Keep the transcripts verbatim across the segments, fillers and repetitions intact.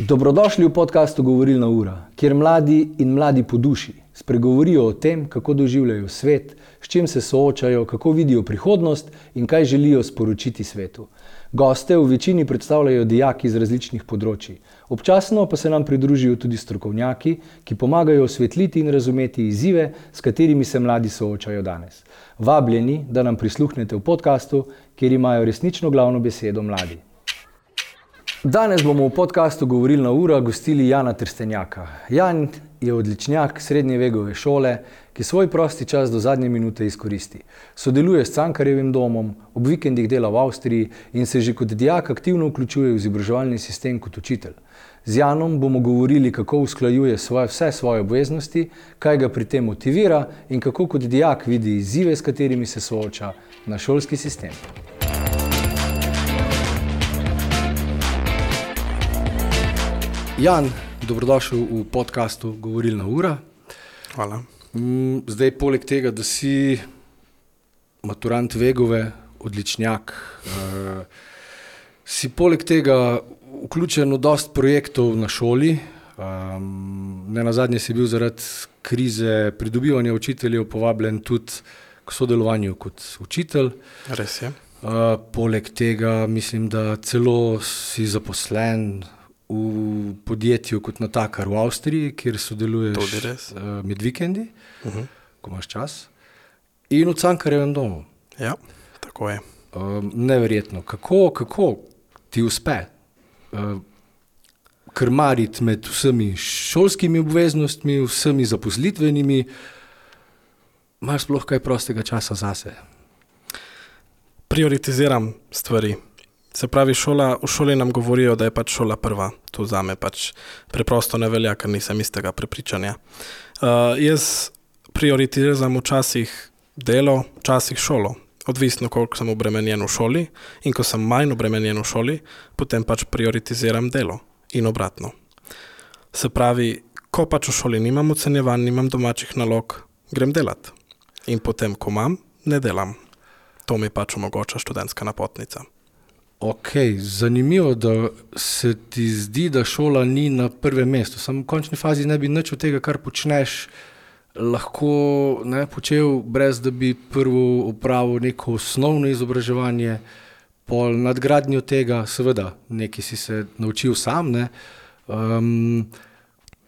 Dobrodošli v podcastu Govorilna ura, kjer mladi in mladi po duši spregovorijo o tem, kako doživljajo svet, s čim se soočajo, kako vidijo prihodnost in kaj želijo sporočiti svetu. Goste v večini predstavljajo dijaki iz različnih področij. Občasno pa se nam pridružijo tudi strokovnjaki, ki pomagajo osvetliti in razumeti izzive, s katerimi se mladi soočajo danes. Vabljeni, da nam prisluhnete v podcastu, kjer imajo resnično glavno besedo mladi. Danes bomo v podcastu Govorilna ura gostili Jana Trstenjaka. Jan je odličnjak srednje vegove šole, ki svoj prosti čas do zadnje minute izkoristi. Sodeluje s Cankarjevim domom, ob vikendih dela v Avstriji in se že kot dijak aktivno vključuje v izobraževalni sistem kot učitelj. Z Janom bomo govorili, kako usklajuje svoje, vse svoje obveznosti, kaj ga pri tem motivira in kako kot dijak vidi izzive, s katerimi se sooča na šolski sistem. Jan, dobrodošel v podcastu Govorilna ura. Hvala. Zdaj, poleg tega, da si maturant Vegove, odličnjak, uh, si poleg tega vključen v dosti projektov na šoli. Um, ne nazadnje si bil zaradi krize pridobivanja učiteljev povabljen tudi k sodelovanju kot učitelj. Res je. Uh, poleg tega mislim, da celo si zaposlen v podjetju kot natakar v Avstriji, kjer sodeluješ uh, med vikendi, uh-huh. ko imaš čas, in v Cankarjevem domu. Ja, tako je. Um, neverjetno. Kako, kako ti uspe uh, krmariti med vsemi šolskimi obveznostmi, vsemi zaposlitvenimi, imaš sploh kaj prostega časa zase? Prioritiziram stvari. Se pravi, šola, v šoli nam govorijo, da je pač šola prva. To zame pač preprosto ne velja, ker nisem istega prepričanja. Uh, jaz prioritiziram včasih delo, včasih šolo. Odvisno, koliko sem obremenjen v šoli, in ko sem manj obremenjen v šoli, potem pač prioritiziram delo in obratno. Se pravi, ko pač v šoli nimam ocenjevanj, nimam domačih nalog, grem delat. In potem, ko imam, ne delam. To mi pač omogoča študentska napotnica. Ok, zanimivo, da se ti zdi, da šola ni na prvem mestu. Samo v končni fazi ne bi nič od tega, kar počneš, lahko ne počel, brez da bi prvo opravil neko osnovno izobraževanje, pol nadgradnjo tega, seveda, nekaj si se naučil sam, ne. Um,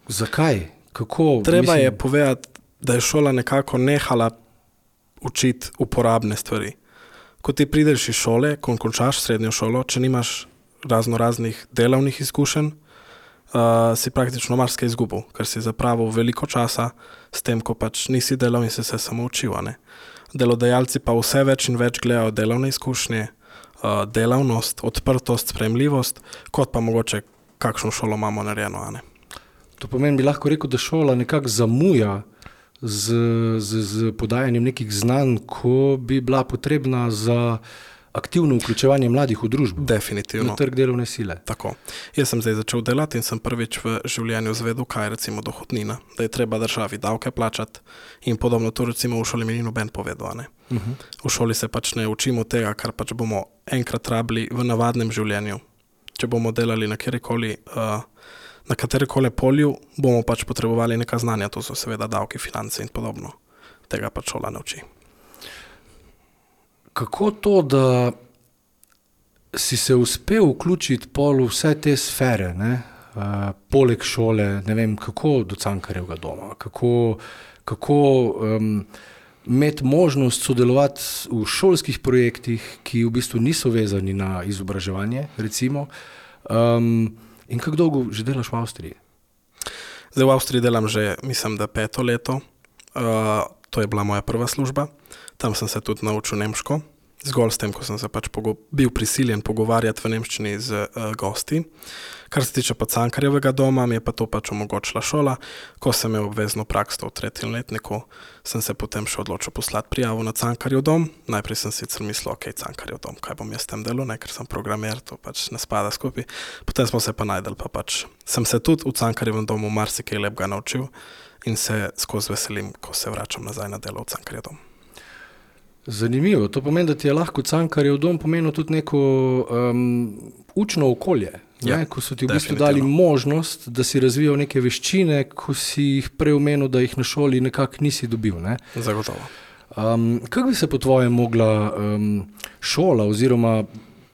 zakaj? Kako? Treba Mislim... je povedati, da je šola nekako nehala učiti uporabne stvari. Ko ti prideš iz šole, ko končaš srednjo šolo, če nimaš razno raznih delovnih izkušenj, uh, si praktično marsikaj izgubil, ker si zapravil veliko časa s tem, ko pač nisi delal in si se samo učil. Ne? Delodajalci pa vse več in več gledajo delovne izkušnje, uh, delavnost, odprtost, sprejemljivost, kot pa mogoče kakšno šolo imamo narejeno. Ne? To pomeni, bi lahko rekel, da šola nekako zamuja Z, z, z podajanjem nekih znanj, ko bi bila potrebna za aktivno vključevanje mladih v družbo. Definitivno. Na trg delovne sile. Tako. Jaz sem zdaj začel delati in sem prvič v življenju zvedel, kaj je recimo dohodnina, da je treba državi davke plačati in podobno. To recimo v šoli mi ni noben povedal. Ne? Uh-huh. V šoli se pač ne učimo tega, kar pač bomo enkrat rabili v navadnem življenju. Če bomo delali na kjerikoli uh, na katerikoli polju, bomo pač potrebovali neka znanja, to so seveda davki, finance in podobno. Tega pač šola ne uči. Kako to, da si se uspel vključiti pol v vse te sfere, ne? Uh, poleg šole, ne vem, kako do Cankarjevega doma, kako, kako um, imeti možnost sodelovati v šolskih projektih, ki v bistvu niso vezani na izobraževanje, recimo, um, in kako dolgo že delaš v Avstriji? Zdaj v Avstriji delam že, mislim, da peto leto. Uh, to je bila moja prva služba. Tam sem se tudi naučil nemško. Zgolj s tem, ko sem se pač pogo- bil prisiljen pogovarjati v nemščini z uh, gosti. Kar se tiče pa Cankarjevega doma, mi je pa to pač omogočila šola. Ko sem imel obvezno prakso v tretjem letniku, sem se potem še odločil poslati prijavo na Cankarjev dom. Najprej sem sicer mislil, ok, Cankarjev dom, kaj bom jaz tem delal, ne, ker sem programer, to pač ne spada skupaj. Potem smo se pa najdel, pa pač sem se tudi v Cankarjevem domu marsikaj lepega naučil in se skozi veselim, ko se vračam nazaj na delo v Cankarjev dom. Zanimivo, to pomeni, da ti je lahko Cankarjev dom pomenil tudi neko um, učno okolje, Ja, ne? Ko so ti v bistvu definitivno. dali možnost, da si razvijal neke veščine, ko si jih prej omenil, da jih na šoli nekako nisi dobil. Ne? Zagotovo. Um, kako bi se po tvojem mogla um, šola oziroma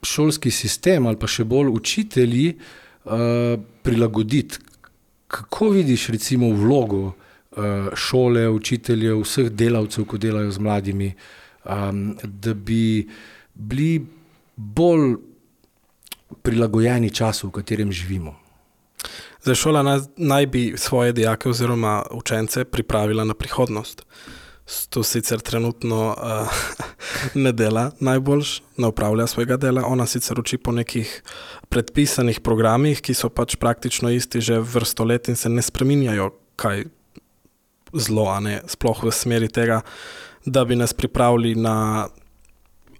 šolski sistem ali pa še bolj učitelji uh, prilagoditi? Kako vidiš recimo vlogo uh, šole, učiteljev, vseh delavcev, ko delajo z mladimi, um, da bi bili bolj prilagojeni času, v katerem živimo? Zdaj, šola naj, naj bi svoje dijake oziroma učence pripravila na prihodnost. To sicer trenutno uh, ne dela najboljš, ne upravlja svojega dela. Ona sicer uči po nekih predpisanih programih, ki so pač praktično isti že vrsto let in se ne spreminjajo kaj zlo, a ne sploh v smeri tega, da bi nas pripravili na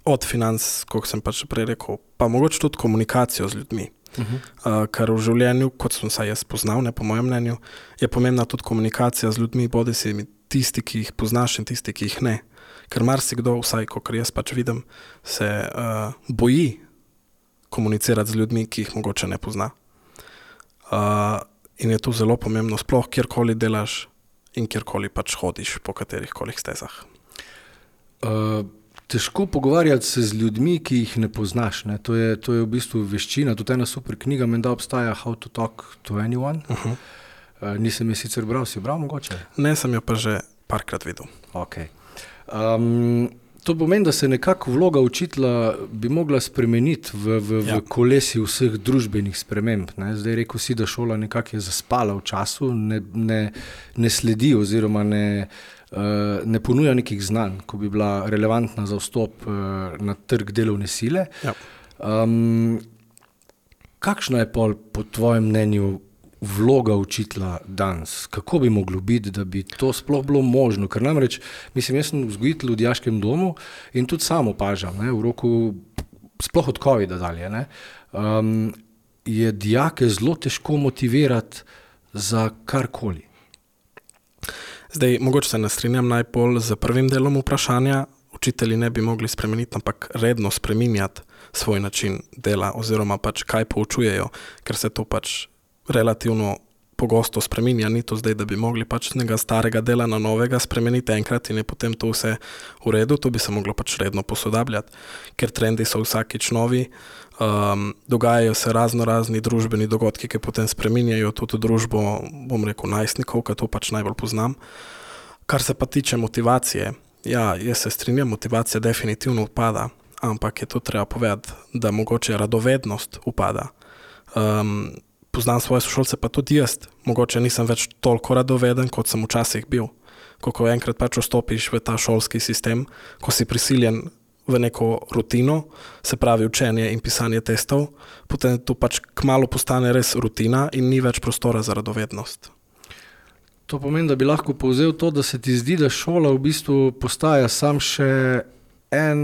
od financ, kot sem pač prej rekel, pa mogoče tudi komunikacijo z ljudmi. Uh-huh. Uh, ker v življenju, kot sem se jaz poznal, ne po mojem mnenju, je pomembna tudi komunikacija z ljudmi, bodi si tisti, ki jih poznaš in tisti, ki jih ne. Ker marsikdo, vsaj kot jaz pač vidim, se uh, boji komunicirati z ljudmi, ki jih mogoče ne pozna. Uh, in je to zelo pomembno, sploh kjerkoli delaš in kjerkoli pač hodiš po katerih kolih stezah. Uh, težko pogovarjati se z ljudmi, ki jih ne poznaš. Ne? To je, to je v bistvu veščina. Tudi ena super knjiga, menda obstaja How to talk to anyone. Uh-huh. Uh, nisem je sicer bral, si bral mogoče? Ne, sem jo pa že parkrat videl. Okay. Um, to pomeni, da se nekako vloga učitelja bi mogla spremeniti v, v, Ja. v kolesi vseh družbenih sprememb. Ne? Zdaj rekel si, da šola nekako je zaspala v času, ne, ne, ne sledi oziroma ne, uh, ne ponuja nekih znanj, ko bi bila relevantna za vstop uh, na trg delovne sile. Ja. Um, kakšna je pol po tvojem mnenju vloga učitelja danes? Kako bi moglo biti, da bi to sploh bilo možno? Ker namreč, mislim, jaz sem vzgojitelj v dijaškem domu in tudi sam opažam, ne, v roku, sploh od covida dalje, ne, um, je dijake zelo težko motivirati za karkoli. Zdaj, mogoče se ne strinjam najbolj z prvim delom vprašanja. Učitelji ne bi mogli spremeniti, ampak redno spreminjati svoj način dela oziroma pač kaj poučujejo, ker se to pač relativno pogosto spreminja, ni to zdaj, da bi mogli pač nekega starega dela na novega spremeniti enkrat in je potem to vse v redu, to bi se moglo pač redno posodabljati, ker trendi so vsakič novi, um, dogajajo se razno razni družbeni dogodki, ki potem spreminjajo tudi družbo, bom rekel, najstnikov, ki to pač najbolj poznam. Kar se pa tiče motivacije, ja, jaz se strinjam, motivacija definitivno upada, ampak je to treba povedati, da mogoče radovednost upada. Um, Poznam svoje sošolce, pa tudi jaz. Mogoče nisem več toliko radoveden, kot sem včasih bil. Ko enkrat pač vstopiš v ta šolski sistem, ko si prisiljen v neko rutino, se pravi učenje in pisanje testov, potem to pač kmalu postane res rutina in ni več prostora za radovednost. To pomeni, da bi lahko povzel to, da se ti zdi, da šola v bistvu postaja sam še en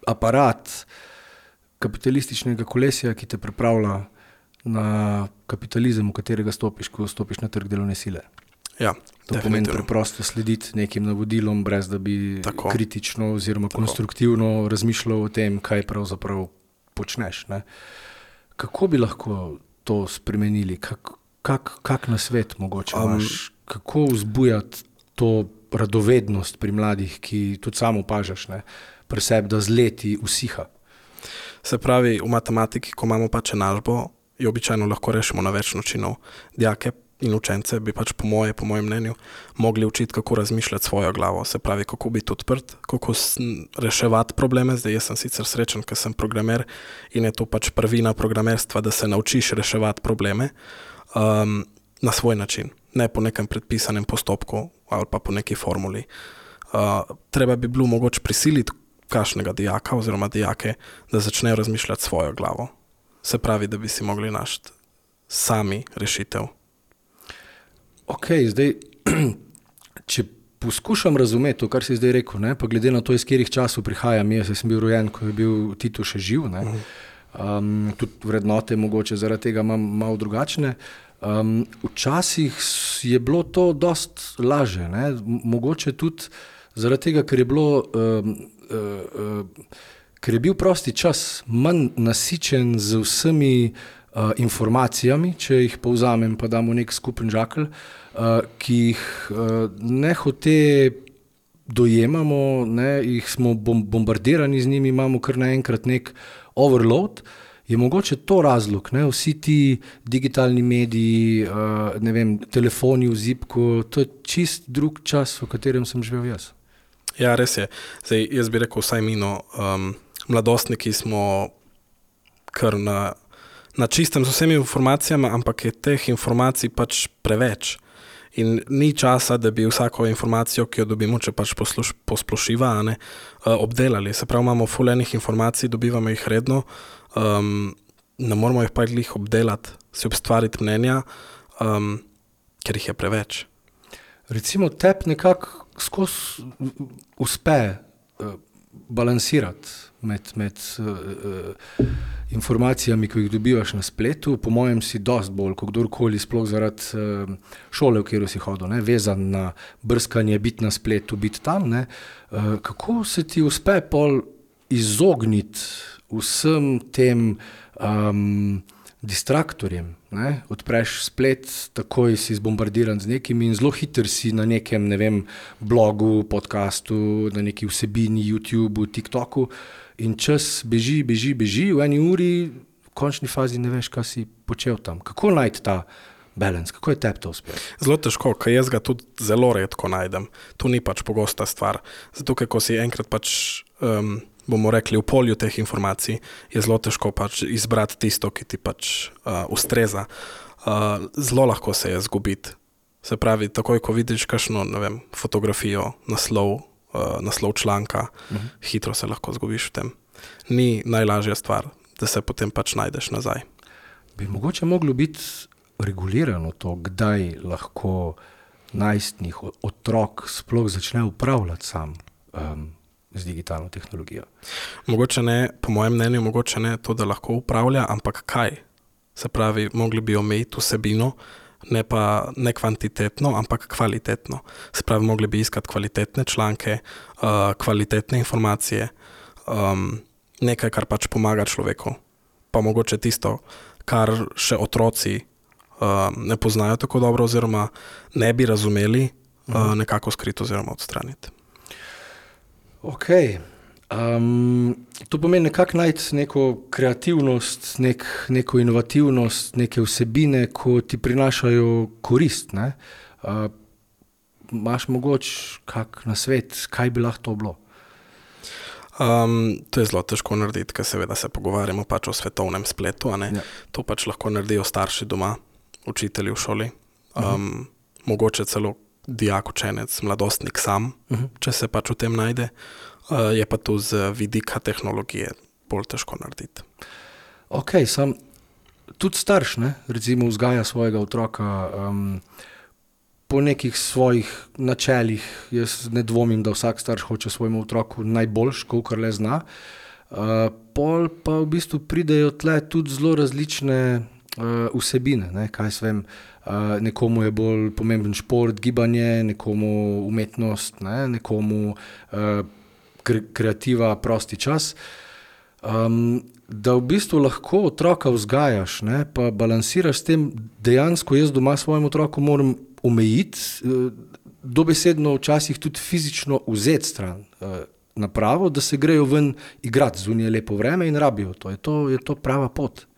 aparat kapitalističnega kolesja, ki te pripravlja na kapitalizem, v katerega stopiš, ko stopiš na trg delovne sile. Ja, to pomeni preprosto slediti nekim navodilom, brez da bi Tako. kritično oziroma Tako. konstruktivno razmišljal o tem, kaj pravzaprav počneš. Ne? Kako bi lahko to spremenili? Kak, kak, kak na svet mogoče Um, imaš? Kako vzbujati to radovednost pri mladih, ki tudi samo opažaš, ne? Pri sebi, da z leti usiha? Se pravi, v matematiki, ko imamo pač enačbo, jo običajno lahko rešimo na več načinov. Dijake in učence bi pač po moje, po mojem mnenju, mogli učiti, kako razmišljati svojo glavo. Se pravi, kako biti odprt, kako reševati probleme. Zdaj, jaz sem sicer srečen, ker sem programer in je to pač prvina programerstva, da se naučiš reševati probleme um, na svoj način, ne po nekem predpisanem postopku ali pa po neki formuli. Uh, treba bi bilo mogoče prisiliti kakšnega dijaka oziroma dijake, da začnejo razmišljati svojo glavo. Se pravi, da bi si mogli našti sami rešitev. Ok, zdaj, če poskušam razumeti to, kar si zdaj rekel, ne, pa glede na to, iz katerih časov prihajam, jaz sem bil rojen, ko je bil Tito še živ, ne, um, tudi vrednote mogoče zaradi tega imam malo drugačne. Um, včasih je bilo to dost laže, ne, mogoče tudi Zaradi tega, ker je bilo, uh, uh, uh, ker je bil prosti čas manj nasičen z vsemi uh, informacijami, če jih povzamem, pa damo nek skupen žakelj, uh, ki jih uh, ne hote dojemamo, ne, jih smo bombardirani z njimi, imamo kar naenkrat nek overload, je mogoče to razlog, ne, vsi ti digitalni mediji, uh, ne vem, telefoni v zipku, to je čist drug čas, v katerem sem živel jaz. Ja, res je. Zdaj, jaz bi rekel vsaj mino, um, mladostniki smo kar na, na čistem z vsemi informacijami, ampak je teh informacij pač preveč. In ni časa, da bi vsako informacijo, ki jo dobimo, če pač posluš, posplošiva, ne, obdelali. Se pravi, imamo ful enih informacij, dobivamo jih redno, um, ne moramo jih pa jih obdelati, si ustvariti mnenja, um, ker jih je preveč. Recimo tep nekako skozi uspe uh, balansirati med, med uh, uh, informacijami, ki jih dobivaš na spletu. Po mojem si dost bolj, kot kdorkoli, sploh zaradi uh, šole, v katero si hodil, ne, vezan na brskanje, biti na spletu, biti tam. Ne. Uh, kako se ti uspe pol izogniti vsem tem um, distraktorjem? Ne? Odpreš splet, takoj si zbombardiran z nekimi in zelo hiter si na nekem, ne vem, blogu, podcastu, na neki vsebini, YouTubeu, TikToku in čas beži, beži, beži, v eni uri v končni fazi ne veš, kaj si počel tam. Kako najti ta balance, kako je tebi to uspel? Zelo težko, ker jaz ga tudi zelo redko najdem. To ni pač pogosta stvar. Zato, ker ko si enkrat pač, um, bomo rekli, v polju teh informacij, je zelo težko pač izbrati tisto, ki ti pač uh, ustreza. Uh, zelo lahko se je zgubiti. Se pravi, takoj, ko vidiš kakšno, ne vem, fotografijo, naslov, uh, naslov članka, uh-huh. hitro se lahko zgubiš v tem. Ni najlažja stvar, da se potem pač najdeš nazaj. Bi mogoče moglo biti regulirano to, kdaj lahko najstnik, otrok sploh začne upravljati sam um, z digitalno tehnologijo? Mogoče ne, po mojem mnenju, mogoče ne to, da lahko upravlja, ampak kaj? Se pravi, mogli bi omejiti vsebino, ne pa ne kvantitetno, ampak kvalitetno. Se pravi, mogli bi iskati kvalitetne članke, uh, kvalitetne informacije, um, nekaj, kar pač pomaga človeku. Pa mogoče tisto, kar še otroci uh, ne poznajo tako dobro oziroma ne bi razumeli, uh, nekako skriti oziroma odstraniti. Ok, um, to pomeni nekako najti neko kreativnost, nek, neko inovativnost, neke vsebine, ko ti prinašajo korist, ne? Uh, imaš mogoče kak nasvet, kaj bi lahko to bilo? Um, to je zelo težko narediti, ker seveda se pogovarjamo pač o svetovnem spletu, a ne? Ja. To pač lahko naredijo starši doma, učitelji v šoli, um, uh-huh. mogoče celo dijak, učenec, mladostnik sam, uh-huh. če se pač v tem najde, uh, je pa tu z vidika tehnologije bolj težko narediti. Ok, sam tudi starš, ne, recimo vzgaja svojega otroka um, po nekih svojih načelih. Jaz ne dvomim, da vsak starš hoče svojemu otroku najboljš, kolikor le zna. Uh, pol pa v bistvu pridejo tle tudi zelo različne uh, vsebine, ne, kaj se vem, Uh, nekomu je bolj pomemben šport, gibanje, nekomu umetnost, ne, nekomu uh, kre- kreativa, prosti čas. Um, da v bistvu lahko otroka vzgajaš, ne, pa balansiraš s tem, dejansko jaz doma svojemu otroku moram omejiti, uh, dobesedno včasih tudi fizično vzeti stran uh, napravo, da se grejo ven igrati, zunaj je lepo vreme in rabijo to. Je to, je to prava pot?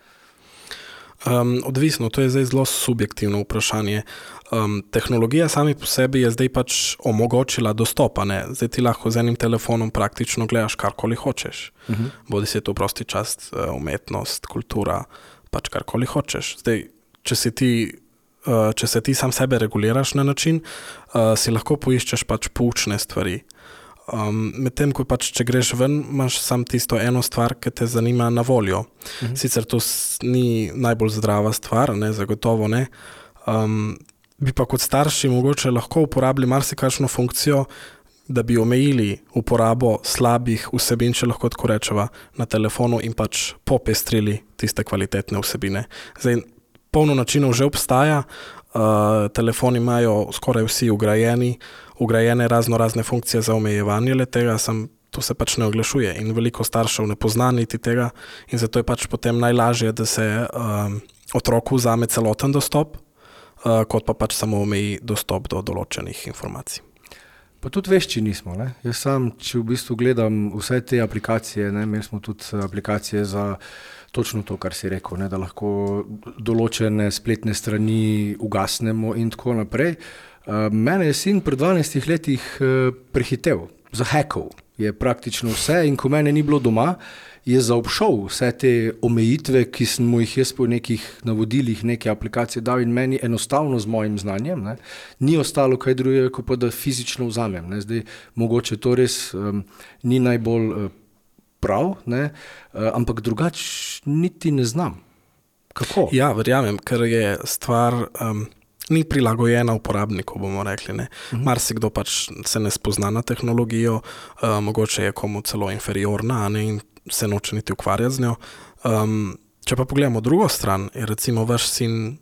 Um, odvisno, to je zdaj zelo subjektivno vprašanje. Um, tehnologija sami po sebi je zdaj pač omogočila dostopa, ne? Zdaj ti lahko z enim telefonom praktično gledaš karkoli hočeš. Uh-huh. Bodi se to prosti čas, umetnost, kultura, pač karkoli hočeš. Zdaj, če si ti, uh, če se ti sam sebe reguliraš na način, uh, si lahko poiščeš pač poučne stvari. Um, medtem, ko pač, če greš ven, imaš sam tisto eno stvar, ki te zanima na voljo. Uh-huh. Sicer to ni najbolj zdrava stvar, ne, zagotovo ne. Um, bi pa kot starši mogoče lahko uporabili marsikakšno funkcijo, da bi omejili uporabo slabih vsebin, če lahko tako rečeva, na telefonu in pač popestrili tiste kvalitetne vsebine. Zdaj, polno načinov že obstaja, Uh, telefoni imajo skoraj vsi ugrajeni, ugrajene razno razne funkcije za omejevanje le tega, sem, to se pač ne oglašuje in veliko staršev ne pozna niti tega in zato je pač potem najlažje, da se um, otroku vzame celoten dostop, uh, kot pa pač samo omeji dostop do določenih informacij. Pa tudi vešči nismo. Ne? Jaz sam, če v bistvu gledam vse te aplikacije, ne, imeli smo tudi aplikacije za točno to, kar si rekel, ne, da lahko določene spletne strani ugasnemo in tako naprej. Uh, mene je sin pred dvanajstih letih uh, prehitev, zahekal je praktično vse in ko mene ni bilo doma, je zaobšel vse te omejitve, ki sem mu jih jaz po nekih navodilih neke aplikacije dal in meni enostavno z mojim znanjem, ne, ni ostalo kaj drugega, kot pa da fizično vzamem. Ne. Zdaj, mogoče to res um, ni najbolj uh, prav, ne, uh, ampak drugač niti ne znam. Kako? Ja, verjamem, ker je stvar um, ni prilagojena uporabniku, bomo rekli. Ne. Uh-huh. Marsikdo pač se ne spozna na tehnologijo, uh, mogoče je komu celo inferiorna, a ne, in se noče niti ukvarjati z njo. Um, če pa pogledamo drugo stran, je recimo vaš sin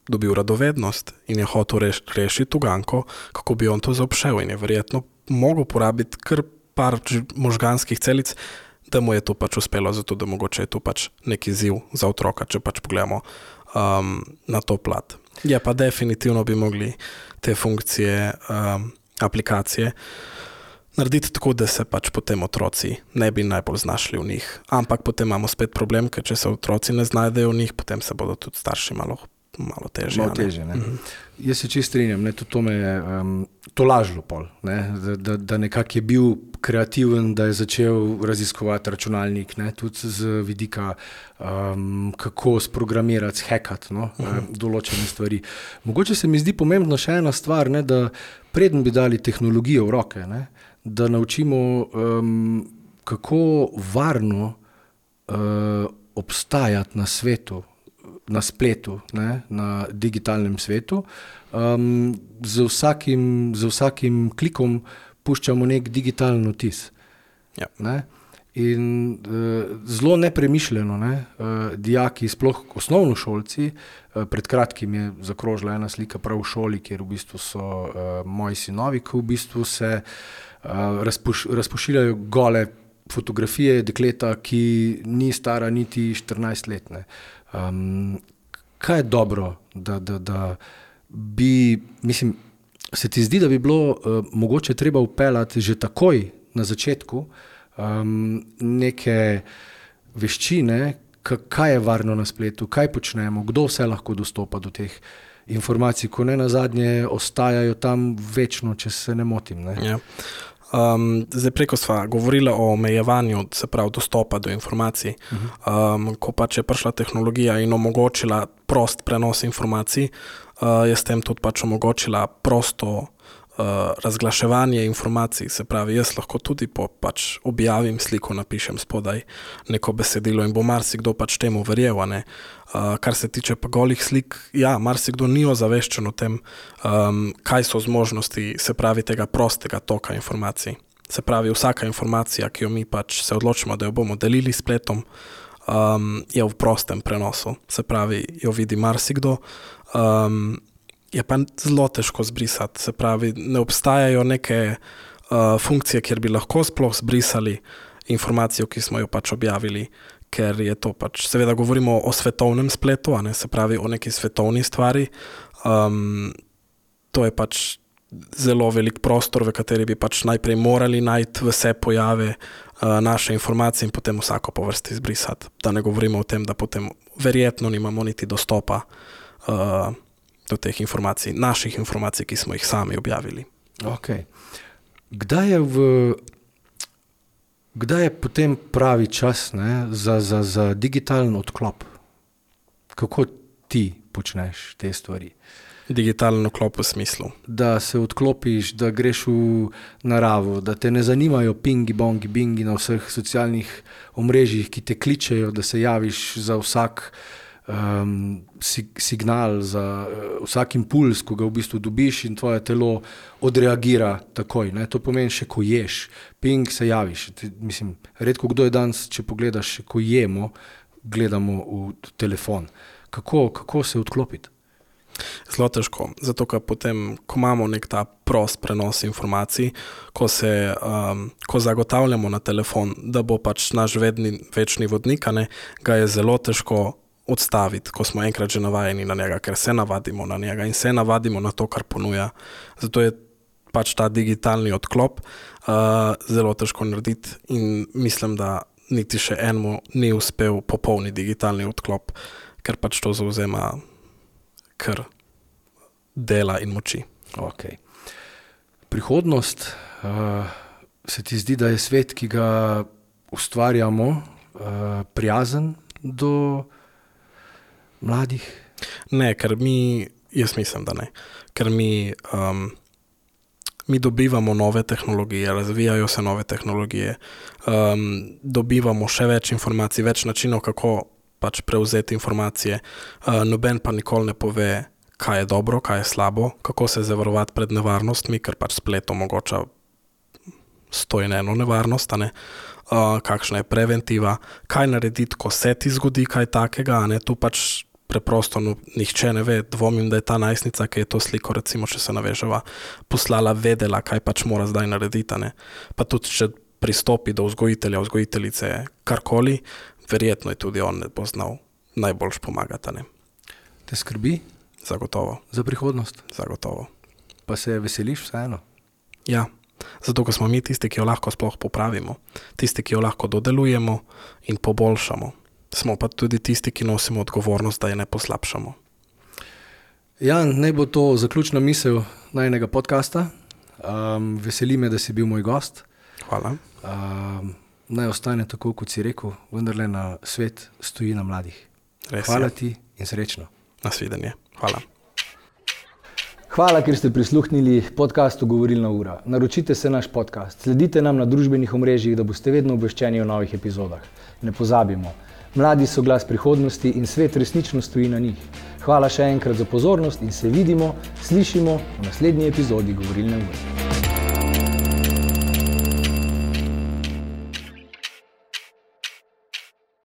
dobil radovednost in je hotel reš, rešiti uganko, kako bi on to zaobšel in je verjetno mogel porabiti kar par možganskih celic, da mu je to pač uspelo, zato da mogoče je to pač neki izziv za otroka, če pač pogledamo um, na to plat. Ja, pa definitivno bi mogli te funkcije, um, aplikacije narediti tako, da se pač potem otroci ne bi najbolj znašli v njih. Ampak potem imamo spet problem, ker če se otroci ne znajdejo v njih, potem se bodo tudi starši malo, malo težje. Malo težje, ne. Mm-hmm. Jaz se čisto strinjam, ne, to me je um, to lažlo pol, ne, da, da, da nekako je bil kreativen, da je začel raziskovati računalnik, ne, tudi z vidika, um, kako sprogramirati, hackati, no, mm-hmm. določene stvari. Mogoče se mi zdi pomembno še ena stvar, ne, da preden bi dali tehnologijo v roke, ne, da naučimo, um, kako varno uh, obstajati na svetu, na spletu, ne, na digitalnem svetu. Um, z vsakim, z vsakim klikom puščamo nek digitalen vtis. Ja. Ne? In uh, zelo nepremišljeno, ne, uh, dijaki, sploh osnovnošolci, uh, pred kratkim je zakrožila ena slika prav v šoli, kjer v bistvu so uh, moji sinovi, ki v bistvu se uh, razpoš, razpošiljajo gole fotografije dekleta, ki ni stara niti štirinajst let. Ne. Um, kaj je dobro, da, da, da bi, mislim, se ti zdi, da bi bilo uh, mogoče treba vpeljati že takoj na začetku um, neke veščine, kaj je varno na spletu, kaj počnemo, kdo vse lahko dostopa do teh informacij, ko ne nazadnje ostajajo tam večno, če se ne motim. Ne? Ja. Um, zdaj preko sva govorila o omejevanju, se pravi dostopa do informacij. Um, ko pač je prišla tehnologija in omogočila prost prenos informacij, uh, je s tem tudi pač omogočila prosto uh, razglaševanje informacij. Se pravi, jaz lahko tudi po pač objavim sliko, napišem spodaj neko besedilo in bo marsikdo pač temu verjel, a ne. Uh, kar se tiče pa golih slik, ja, marsikdo ni ozaveščen o tem, um, kaj so zmožnosti, se pravi, tega prostega toka informacij. Se pravi, vsaka informacija, ki jo mi pač se odločimo, da jo bomo delili s spletom, um, je v prostem prenosu. Se pravi, jo vidi marsikdo, um, je pa zelo težko zbrisati. Se pravi, ne obstajajo neke uh, funkcije, kjer bi lahko sploh zbrisali informacijo, ki smo jo pač objavili, ker je to pač, seveda govorimo o svetovnem spletu, a ne, se pravi o neki svetovni stvari. Um, to je pač zelo velik prostor, v kateri bi pač najprej morali najti vse pojave uh, naše informacije in potem vsako po vrsti zbrisati. Da ne govorimo o tem, da potem verjetno nimamo niti dostopa uh, do teh informacij, naših informacij, ki smo jih sami objavili. Ok. Kdaj je v Kdaj je potem pravi čas, ne, za, za, za digitalen odklop? Kako ti počneš te stvari? Digitalen odklop v smislu? Da se odklopiš, da greš v naravo, da te ne zanimajo pingi, bongi, bingi na vseh socialnih omrežjih, ki te kličejo, da se javiš za vsak um, signal, za uh, vsak impuls, ko ga v bistvu dobiš in tvoje telo odreagira takoj. Ne? To pomeni še, ko ješ. Ping, se javiš. Mislim, redko kdo je danes, če pogledaš, še ko jemo, gledamo v telefon. Kako, kako se odklopiti? Zelo težko, zato ker potem, ko imamo nek ta prost prenos informacij, ko, se, um, ko zagotavljamo na telefon, da bo pač naš vedni, večni vodnik, ne, ga je zelo težko odstaviti, ko smo enkrat že navajeni na njega, ker se navadimo na njega in se navadimo na to, kar ponuja. Zato je pač ta digitalni odklop uh, zelo težko narediti in mislim, da niti še enemu ni uspel popolni digitalni odklop, ker pač to zauzema kar dela in moči. Okay. Prihodnost, uh, se ti zdi, da je svet, ki ga ustvarjamo, uh, prijazen do mladih? Ne, ker mi, jaz mislim, da ne, ker mi, um, mi dobivamo nove tehnologije, razvijajo se nove tehnologije, um, dobivamo še več informacij, več načinov, kako pač prevzeti informacije, uh, noben pa nikoli ne pove, kaj je dobro, kaj je slabo, kako se zavarovati pred nevarnostmi, ker pač splet omogoča sto in eno nevarnost, a ne? Uh, kakšna je preventiva, kaj narediti, ko se ti zgodi kaj takega, a ne? Tu pač preprosto no, nihče ne ve, dvomim, da je ta najstnica, ki je to sliko, recimo, če se naveževa, poslala, vedela, kaj pač mora zdaj narediti, a ne? Pa tudi, če pristopi do vzgojitelja, vzgojiteljice, karkoli, verjetno je tudi on ne bo znal najboljš pomagati, a ne? Te skrbi? Zagotovo. Za prihodnost? Zagotovo. Pa se veseliš vseeno? Ja, zato, ker smo mi tisti, ki jo lahko sploh popravimo, tisti, ki jo lahko dodelujemo in poboljšamo. Smo pa tudi tisti, ki nosimo odgovornost, da je ne poslabšamo. Jan, naj bo to zaključna misel najinega podcasta. Um, veseli me, da si bil moj gost. Hvala. Um, naj ostane tako, kot si rekel, vendarle na svet stoji na mladih. Res Hvala je. ti in srečno. Nasvidenje. Hvala. Hvala, ker ste prisluhnili podcastu Govorilna ura. Naročite se naš podcast, sledite nam na družbenih omrežjih, da boste vedno obveščeni o novih epizodah. Ne pozabimo, mladi so glas prihodnosti in svet resnično stoji na njih. Hvala še enkrat za pozornost in se vidimo, slišimo v naslednji epizodi Govorilne ure.